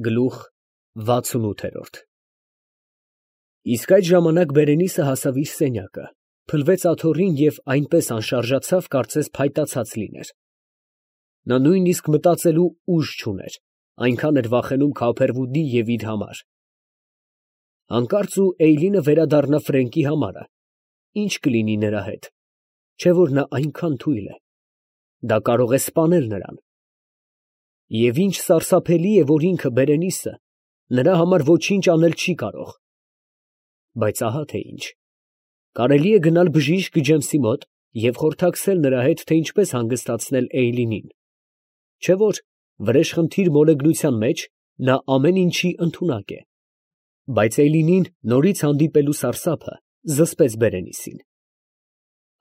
Գլուխ 68 Իսկ այդ ժամանակ Բերենիսը հասավ իր սենյակը, փլվեց աթոռին և այնպես անշարժացավ, կարծես փայտացած լիներ. նա նույնիսկ մտածելու ուժ չուներ, այնքան էր վախենում Քավերվուդի և իր համար. հանկարծ ու Էյլինը վերադառնա Ֆրենկի համարը, ի՞նչ կլինի նրա հետ, չէ՞ որ նա այնքան թույլ է, դա կարող է սպանել նրան. և ինչ սարսափելի է, որ ինքը Բերենիսը նրա համար ոչինչ անել չի կարող. բայց ահա թե ինչ, կարելի է գնալ բժիշկ Ջեմսի մոտ և խորհրդակցել նրա հետ, թե ինչպես հանգստացնել Էյլինին, չէ՞ որ վրեժխնդիր մոլեգնության մեջ նա ամեն ինչի ընդունակ է. բայց Էյլինին նորից հանդիպելու սարսափը զսպեց Բերենիսին.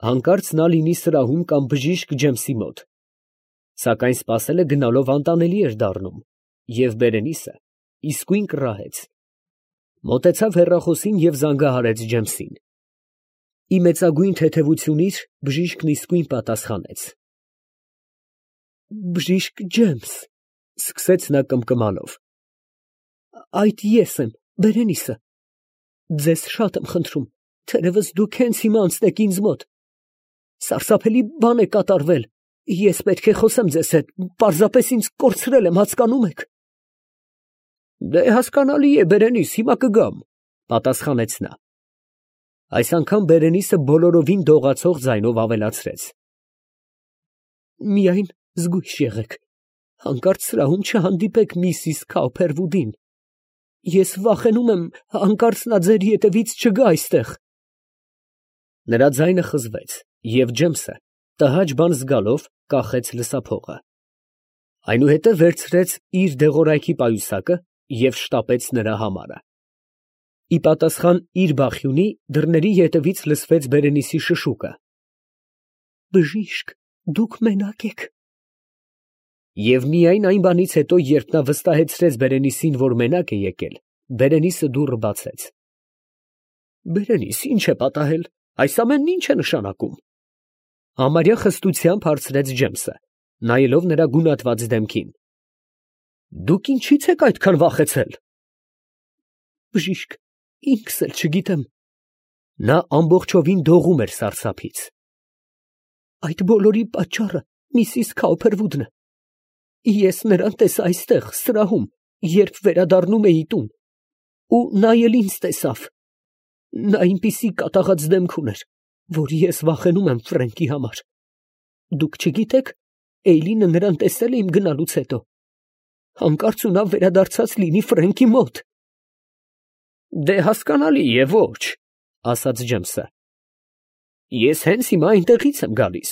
հանկարծ նա լինի սրահում կամ բժիշկ Ջեմսի մոտ, սակայն սպասելը գնալով անտանելի էր դառնում, և Բերենիսը իսկույն կռահեց. մոտեցավ հեռախոսին և զանգահարեց Ջեմսին. ի մեծագույն թեթևությունից բժիշկն իսկույն պատասխանեց. բժիշկ Ջեմս, ֊ սկսեց նա կմկմալով, ֊ այդ ես եմ, Բերենիսը, ձեզ շատ եմ խնդրում, թերևս դուք հենց հիմա անցնեք ինձ մոտ, սարսափելի բան է կատարվել, ես պետք է խոսեմ ձեզ հետ, պարզապես ինձ կորցրել եմ, հասկանում եք։ Դե հասկանալի է, Բերենիս, հիմա կգամ, ֊ պատասխանեց նա։ Այս անգամ Բերենիսը բոլորովին դողացող ձայնով ավելացրեց. միայն զգույշ եղեք, հանկարծ սրահում չհանդիպեք միսիս Քաուփերվուդին, ես վախենում եմ, հանկարծ նա ձեր ետևից չգա այստեղ։ Նրա ձայնը խզվեց, և Ջեմսը, տհաճ բան զգալով, կախեց լսափողը, այնուհետև վերցրեց իր դեղորայքի պայուսակը և շտապեց նրա համարը։ Ի պատասխան իր բախյունի դռների ետևից լսվեց Բերենիսի շշուկը. բժիշկ, դուք մենակ եք։ Եվ միայն այն բանից հետո, երբ նա վստահեցրեց Բերենիսին, որ մենակ է եկել, Բերենիսը դուռը բացեց։ Բերենիս, ի՞նչ է պատահել, այս ամենն ի՞նչ է նշանակում, ֊ համարյա խստությամբ հարցրեց Ջեմսը, նայելով նրա գունատված դեմքին։ Դուք ինչի՞ց եք այդքան վախեցել։ Բժիշկ, ինքս էլ չգիտեմ։ Նա ամբողջովին դողում էր սարսափից։ Այդ բոլորի պատճառը միսիս Քաուփերվուդն է։ Ես նրան տեսա այստեղ, սրահում, երբ վերադառնում էի տուն, ու նա էլ ինձ տեսավ։ Նա այնպիսի կատաղած դեմք ուներ, որ ես վախենում եմ Ֆրենկի համար։ Դուք չգիտեք, Էյլինը նրան տեսել է իմ գնալուց հետո։ Հանկարծ ու նա վերադարձած լինի Ֆրենկի մոտ։ Դե հասկանալի է, ոչ, ֊ ասաց Ջեմսը։ Ես հենց հիմա այնտեղից եմ գալիս։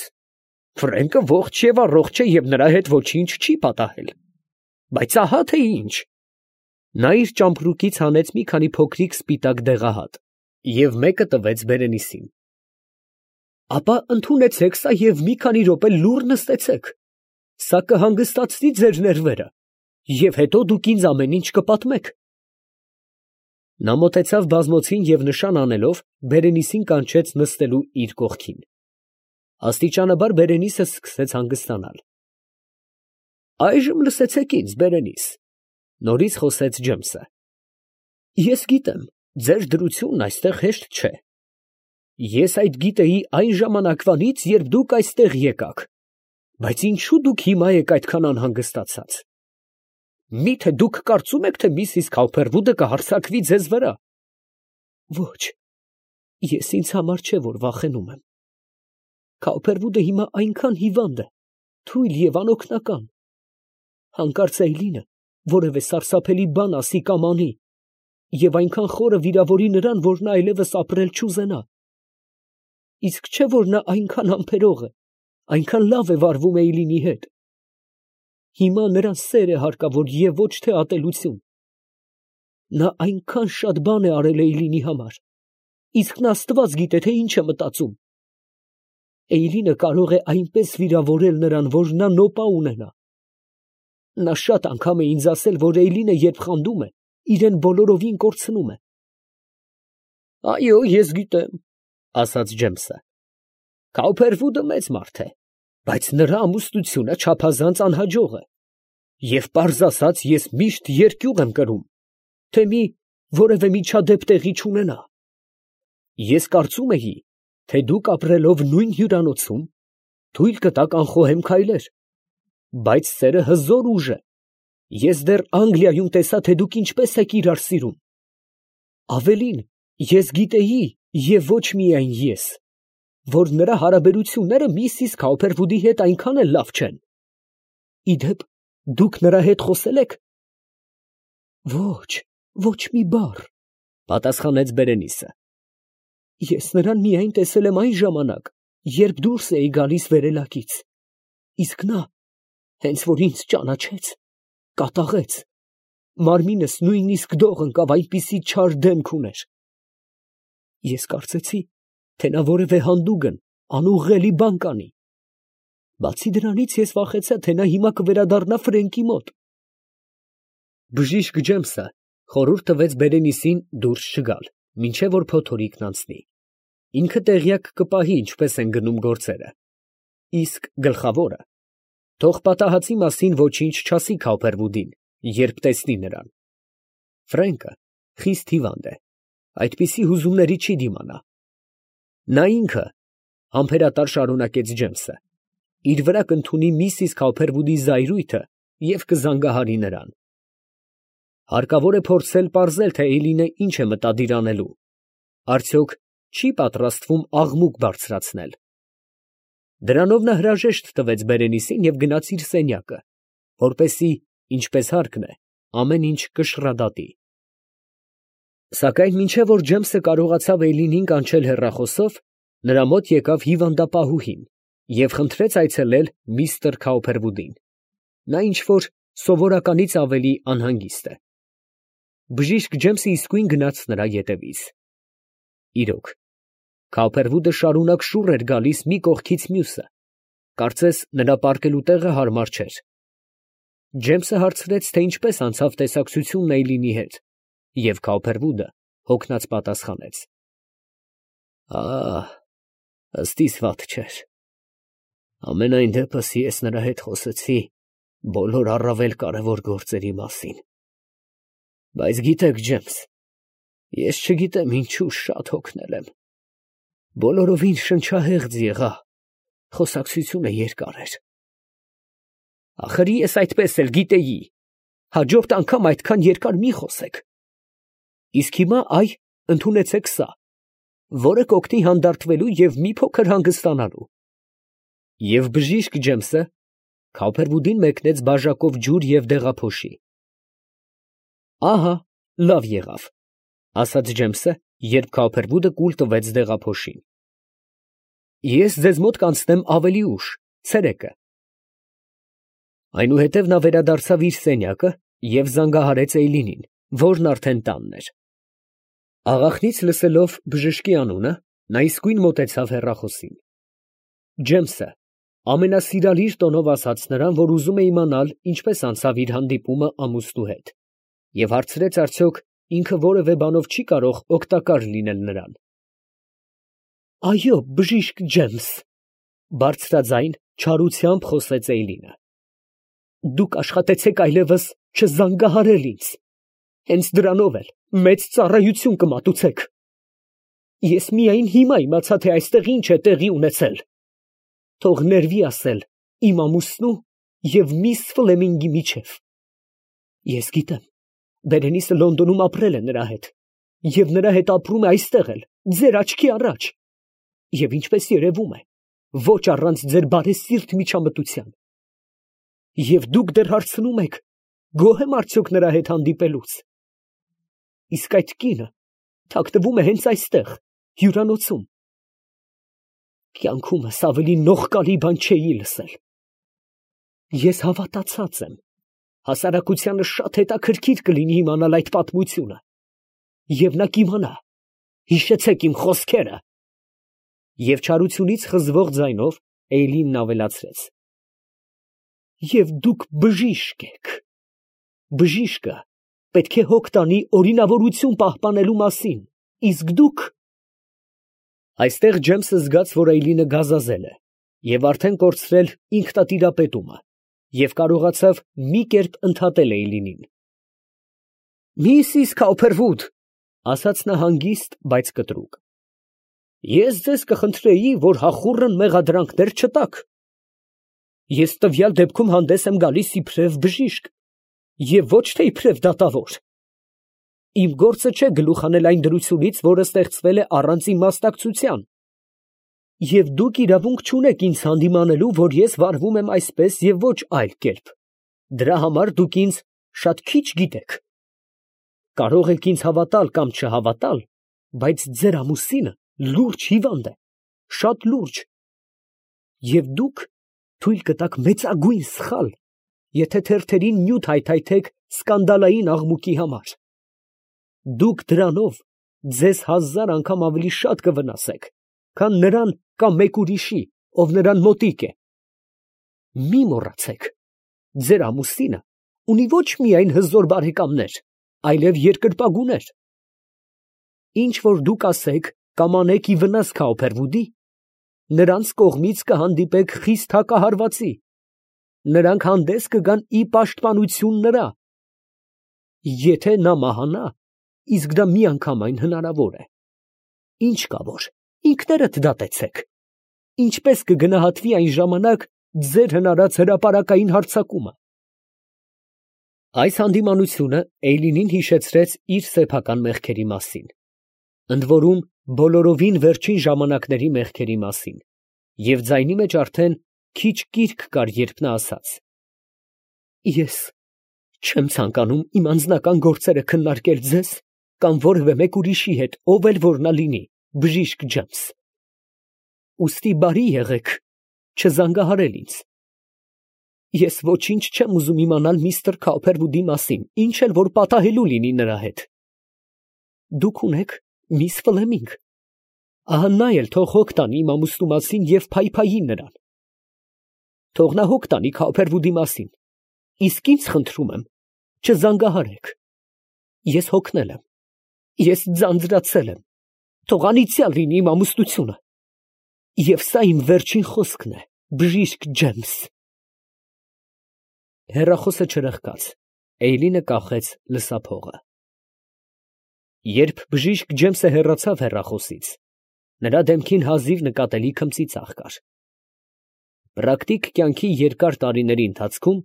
Ֆրենկը ողջ և առողջ է և նրա հետ ոչինչ չի պատահել։ Բայց ահա թե ինչ։ Նա իր ճամպրուկից հանեց մի քանի փոքրիկ սպիտակ դեղահատ և մեկը տվեց Բերենիսին։ Ապա ընդունեցեք սա և մի քանի րոպե լուռ նստեցեք։ Սա կհանգստացնի ձեր ներվերը, և հետո դուք ինձ ամեն ինչ կպատմեք։ Նա մոտեցավ բազմոցին և նշան անելով, Բերենիսին կանչեց նստելու իր կողքին։ Աստիճանաբար Բերենիսը սկսեց հանգստանալ։ Այժմ լսեցեք ինձ, Բերենիս, ֊ նորից խոսեց Ջեմսը։ Ես գիտեմ, ձեր դրությունն այստեղ հեշտ չէ։ Ես այդ գիտեի այն ժամանակվանից, երբ դուք այստեղ եկաք, բայց ինչո՞ւ դուք հիմա եք այդքան անհանգստացած։ Մի՞թե դուք կարծում եք, թե միսիս Քաուփերվուդը կհարձակվի ձեզ վրա։ Ոչ, ես ինձ համար չէ, որ վախենում եմ։ Քաուփերվուդը հիմա այնքան հիվանդ է, թույլ և անօգնական։ Հանկարծ Էյլինը որևէ սարսափելի բան ասի կամ անի, և այնքան խորը վիրավորի նրան, որ նա այլևս ապրել չուզենա։ Իսկ չէ՞ որ նա այնքան համբերող է, այնքան լավ է վարվում Էյլինի հետ։ Հիմա նրան սեր է հարկավոր և ոչ թե ատելություն։ Նա այնքան շատ բան է արել Էյլինի համար, իսկ նա Աստված գիտե, թե ինչ է մտածում։ Էյլինը կարող է այնպես վիրավորել նրան, որ նա նոպա ունենա։ Նա շատ անգամ է ինձ ասել, որ Էյլինը երբ խանդում է, իրեն բոլորովին կորցնում է։ Այո, ես գիտեմ, ֊ ասաց Ջեմսը։ Քաուփերվուդը մեծ մարդ է, բայց նրա ամուսնությունը չափազանց անհաջող է։ Եվ պարզ ասած, ես միշտ երկյուղ եմ կրում, թե մի որևէ միջադեպ տեղի չունենա։ Ես կարծում էի, թե դուք ապրելով նույն հյուրանոցում, թույլ կտաք անխոհեմ քայլեր, բայց սերը հզոր ուժ է։ Ես դեռ Անգլիայում տեսա, թե դուք ինչպես եք իրար սիրում։ Ավելին, ես գիտեի, և ոչ միայն ես, որ նրա հարաբերությունները միսիս Քաուփերվուդի հետ այնքան էլ լավ չեն։ Իդեպ, դուք նրա հետ խոսե՞լ եք։ Ոչ մի բառ, պատասխանեց Բերենիսը։ Ես նրան միայն տեսել եմ այն ժամանակ, երբ դուրս էի գալիս վերելակից, իսկ նա, հենց որ ինձ ճանաչեց, կատաղեց, մարմինս նույնիսկ դող ընկավ, այնպիսի չար դեմք ուներ։ Ես կարծեցի, թե նա որևէ հանդուգն, անուղղելի բան կանի։ Բացի դրանից ես վախեցա, թե նա հիմա կվերադառնա Ֆրենկի մոտ։ Բժիշկ Ջեյմսը խորհուրդ տվեց Բերենիսին դուրս չգալ, մինչև որ փոթորիկն անցնի։ Ինքը տեղյակ կպահի, ինչպես են գնում գործերը։ Իսկ գլխավորը թող պատահածի մասին ոչինչ չասի Քաուփերվուդին, երբ տեսնի նրան։ Ֆրենկը խիստ հիվանդ է, այդպիսի հուզումների չի դիմանա։ Նա ինքը, համբերատար շարունակեց Ջեյմսը, իր վրա կընդունի միսիս Քաուփերվուդի զայրույթը և կզանգահարի նրան։ Հարկավոր է փորձել պարզել, թե Էյլինը ինչ է մտադիր անելու, արդյոք չի պատրաստվում աղմուկ բարձրացնել։ Դրանով նա հրաժեշտ տվեց Բերենիսին և գնաց իր սենյակը, որպեսզի, ինչպես հարկն է, ամեն ինչ կշռադատի։ Սակայն մինչև որ Ջեյմսը կարողացավ Էյլինին կանչել հեռախոսով, նրա մոտ եկավ հիվանդապահուհին և խնդրեց այցելել միստր Քաուփերվուդին։ Նա ինչ֊որ սովորականից ավելի անհանգիստ է։ Բժիշկ Ջեյմսը իսկույն գնաց նրա ետևից։ Իրոք, Քաուփերվուդը շարունակ շուռ էր գալիս մի կողքից մյուսը, կարծես նրա պառկելու տեղը հարմար չէր։ Ջեյմսը հարցրեց, թե ինչպես անցավ տեսակցությունն Էյլինի հետ, և Քաուփերվուդը հոգնած պատասխանեց. Ըստ իս վատ չէր։ Ամենայն դեպս ես նրա հետ խոսեցի բոլոր առավել կարևոր գործերի մասին։ Բայց գիտեք, Ջեյմս, ես չգիտեմ ինչու շատ հոգնել եմ։ Բոլորովին շնչահեղձ եղա, խոսակցությունը երկար էր։ Ախր ես այդպես էլ գիտեի, հաջորդ անգամ այդքան երկար մի խոսեք։ Իսկ հիմա ընդունեցեք սա, որը կօգնի հանդարտվելու և մի փոքր հանգստանալու։ Եվ բժիշկ Ջեյմսը Քաուփերվուդին մեկնեց բաժակով ջուր և դեղափոշի։ Ահա, լավ եղավ, ասաց Ջեյմսը, երբ Քաուփերվուդը կուլ տվեց դեղափոշին։ Ես ձեզ մոտ կանցնեմ ավելի ուշ, ցերեկը։ Այնուհետև նա վերադարձավ իր սենյակը և զանգահարեց Էյլինին, որն արդեն տանն էր։ Աղախնից լսելով բժշկի անունը, նա իսկույն մոտեցավ հեռախոսին։ Ջեյմսը ամենասիրալիր տոնով ասաց նրան, որ ուզում է իմանալ, ինչպես անցավ իր հանդիպումը ամուսնու հետ, և հարցրեց, արդյոք ինքը որևէ բանով չի կարող օգտակար լինել նրան։ Այո, բժիշկ Ջեյմս, բարձրաձայն չարությամբ խոսեց Էյլինը։ Դուք աշխատեցեք այլևս չզանգահարել ինձ, հենց դրանով էլ մեծ ծառայություն կմատուցեք։ Ես միայն հիմա իմացա, թե այստեղ ինչ է տեղի ունեցել։ Թող ներվի ասել իմ ամուսնու և միս Ֆլեմինգի միջև։ Ես գիտեմ, Բերենիսը Լոնդոնում ապրել է նրա հետ, և նրա հետ ապրում է այստեղ էլ, ձեր աչքի առաջ, և ինչպես երևում է, ոչ առանց ձեր բարեսիրտ միջամտության։ Եվ դուք դեռ հարցնում եք, գոհ եմ արդյոք նրա հետ հանդիպելուց։ Իսկ այդ կինը թաքնվում է հենց այստեղ, հյուրանոցում։ Կյանքումս ավելի նողկալի բան չէի լսել։ Ես հավատացած եմ, հասարակությանը շատ հետաքրքիր կլինի իմանալ այդ պատմությունը, և նա կիմանա, հիշեցեք իմ խոսքերը։ Եվ չարությունից խզվող ձայնով Էյլինն ավելացրեց. Եվ դուք բժիշկ եք։ Բժիշկը պետք է հոգ տանի օրինավորություն պահպանելու մասին, իսկ դուք… Այստեղ Ջեյմսը զգաց, որ Էյլինը գազազել է և արդեն կորցրել ինքնատիրապետումը, և կարողացավ մի կերպ ընդհատել Էյլինին։ «Միսիս Քոփերվուդ, ֊ ասաց նա հանգիստ, բայց կտրուկ, ֊ ես ձեզ կխնդրեի, որ հախուռն մեղադրանքներ չտաք։ Ես տվյալ դեպքում հանդես եմ գալիս իբրև բժիշկ և ոչ թե իբրև դատավոր։ Իմ գործը չէ գլուխ հանել այն դրությունից, որը ստեղծվել է առանց իմ մասնակցության, և դուք իրավունք չունեք ինձ հանդիմանելու, որ ես վարվում եմ այսպես և ոչ այլ կերպ. դրա համար դուք ինձ շատ քիչ գիտեք։ Կարող եք ինձ հավատալ կամ չհավատալ, բայց ձեր ամուսինը լուրջ հիվանդ է, շատ լուրջ, և դուք թույլ կտաք մեծագույն սխալ, եթե թերթերին նյութ հայթայթեք սկանդալային աղմուկի համար։ Դուք դրանով ձեզ 1000 անգամ ավելի շատ կվնասեք, քան նրան կամ մեկ ուրիշի, ով նրան մոտիկ է։ Մի մոռացեք, ձեր ամուսինը ունի ոչ միայն հզոր բարեկամներ, այլև երկրպագուներ։ Ինչ որ դուք ասեք կամ անեք ի վնաս Քոփերվուդի, նրանց կողմից կհանդիպեք խիստ հակահարվածի, նրանք հանդես կգան ի պաշտպանություն նրա։ Եթե նա մահանա, իսկ դա միանգամայն հնարավոր է, ինչ կա որ, ինքներդ դատեցեք, ինչպես կգնահատվի այն ժամանակ ձեր հնարած հրապարակային հարձակումը։ Այս հանդիմանությունը Էյլինին հիշեցրեց իր սեփական մեղքերի մասին, ընդ որում բոլորովին վերջին ժամանակների մեղքերի մասին, և ձայնի մեջ արդեն քիչ կիրք կար, երբ նա ասաց. «Ես չեմ ցանկանում իմ անձնական գործերը քննարկել ձեզ կամ որևէ մեկ ուրիշի հետ, ով էլ որ նա լինի, բժիշկ Ջեյմս. ուստի բարի եղեք չզանգահարել ինձ։ Ես ոչինչ չեմ ուզում իմանալ միստր Քոփերվուդի մասին, ինչ էլ որ պատահելու լինի նրա հետ։ Դուք ունեք միս Ֆլեմինգ, ահա նա էլ թող հոգ տանի իմ ամուսնու մասին և փայփայի նրան։ Թող նա հոգ տանի Քոփերվուդի մասին, իսկ ինձ խնդրում եմ, չզանգահարեք։ Ես հոգնել եմ, ես ձանձրացել եմ, թող անիծյալ լինի իմ ամուսնությունը։ Եվ սա իմ վերջին խոսքն է, բժիշկ Ջեյմս»։ Հեռախոսը չրխկաց, Էյլինը կախեց լսափողը։ Երբ բժիշկ Ջեյմսը հեռացավ հեռախոսից, նրա դեմքին հազիվ նկատելի քմծիծաղ կար։ Պրակտիկ կյանքի երկար տարիների ընթացքում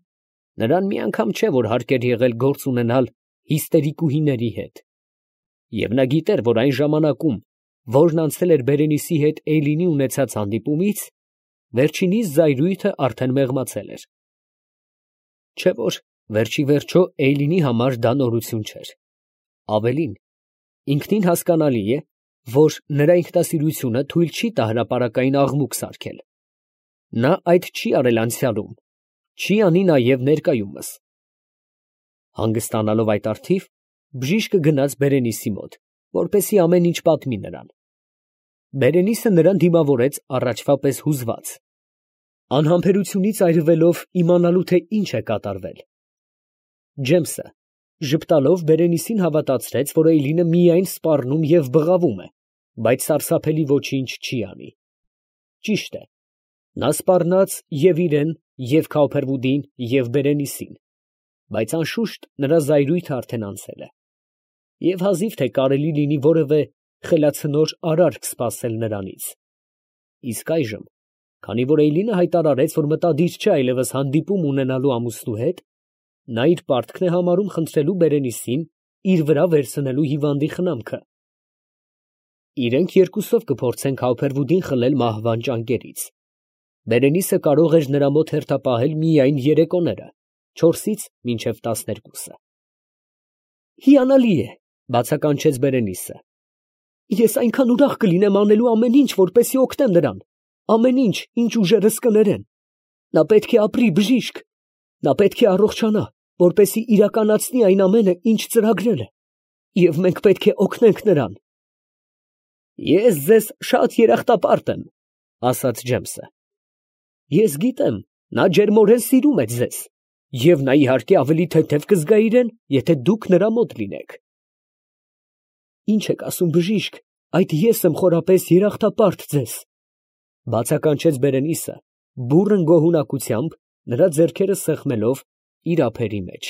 նրան մի անգամ չէ, որ հարկ էր եղել գործ ունենալ հիստերիկուհիների հետ, և նա գիտեր, որ այն ժամանակում, որն անցել էր Բերենիսի հետ Էյլինի ունեցած հանդիպումից, վերջինիս զայրույթը արդեն մեղմացել էր։ Չէ որ վերջիվերջո Էյլինի համար դա նորություն չէր։ Ավելին, ինքնին հասկանալի է, որ նրա ինքնասիրությունը թույլ չի տա հրապարակային աղմուկ սարքել։ Նա այդ չի արել անցյալում, չի անի նաև ներկայումս։ Հանգստանալով այդ առթիվ, բժիշկը գնաց Բերենիսի մոտ, որպեսզի ամեն ինչ պատմի նրան։ Բերենիսը նրան դիմավորեց առաջվա պես հուզված, անհամբերությունից այրվելով իմանալու, թե ինչ է կատարվել։ Ջեյմսը ժպտալով Բերենիսին հավատացրեց, որ Էյլինը միայն սպառնում և բղավում է, բայց սարսափելի ոչինչ չի անի։ Ճիշտ է, նա սպառնաց և իրեն, և Քոփերվուդին, և Բերենիսին, բայց անշուշտ նրա զայրույթը արդեն անցել է, և հազիվ թե կարելի լինի որևէ խելացնոր արարք սպասել նրանից։ Իսկ այժմ, քանի որ Էյլինը հայտարարեց, որ մտադիր չէ այլևս հանդիպում ունենալու ամուսնու հետ, նա իր պարտքն է համարում խնդրելու Բերենիսին իր վրա վերցնելու հիվանդի խնամքը։ Իրենք երկուսով կփորձեն Քոփերվուդին խլել մահվան ճանկերից։ Բերենիսը կարող էր նրա մոտ հերթապահել միայն երեկոները, 4-ից մինչև 12-ը։ Հիանալի է, ֊ բացականչեց Բերենիսը։ Ես այնքան ուրախ կլինեմ անելու ամեն ինչ, որպեսզի օգնեմ նրան, ամեն ինչ, ինչ ուժերս կներեն։ Նա պետք է ապրի, բժիշկ, նա պետք է առողջանա, որպեսզի իրականացնի այն ամենը, ինչ ծրագրել է, և մենք պետք է օգնենք նրան։ Ես ձեզ շատ երախտապարտ եմ, ֊ ասաց Ջեյմսը։ Ես գիտեմ, նա ջերմորեն սիրում է ձեզ, և նա իհարկե ավելի թեթև կզգա իրեն, եթե դուք նրա մոտ լինեք։ Ինչ եք ասում, բժիշկ, այդ ես եմ խորապես երախտապարտ ձեզ, ֊ բացականչեց Բերենիսը բուռն գոհունակությամբ Նրա ձեռքերը սեղմելով իր ափերի մեջ։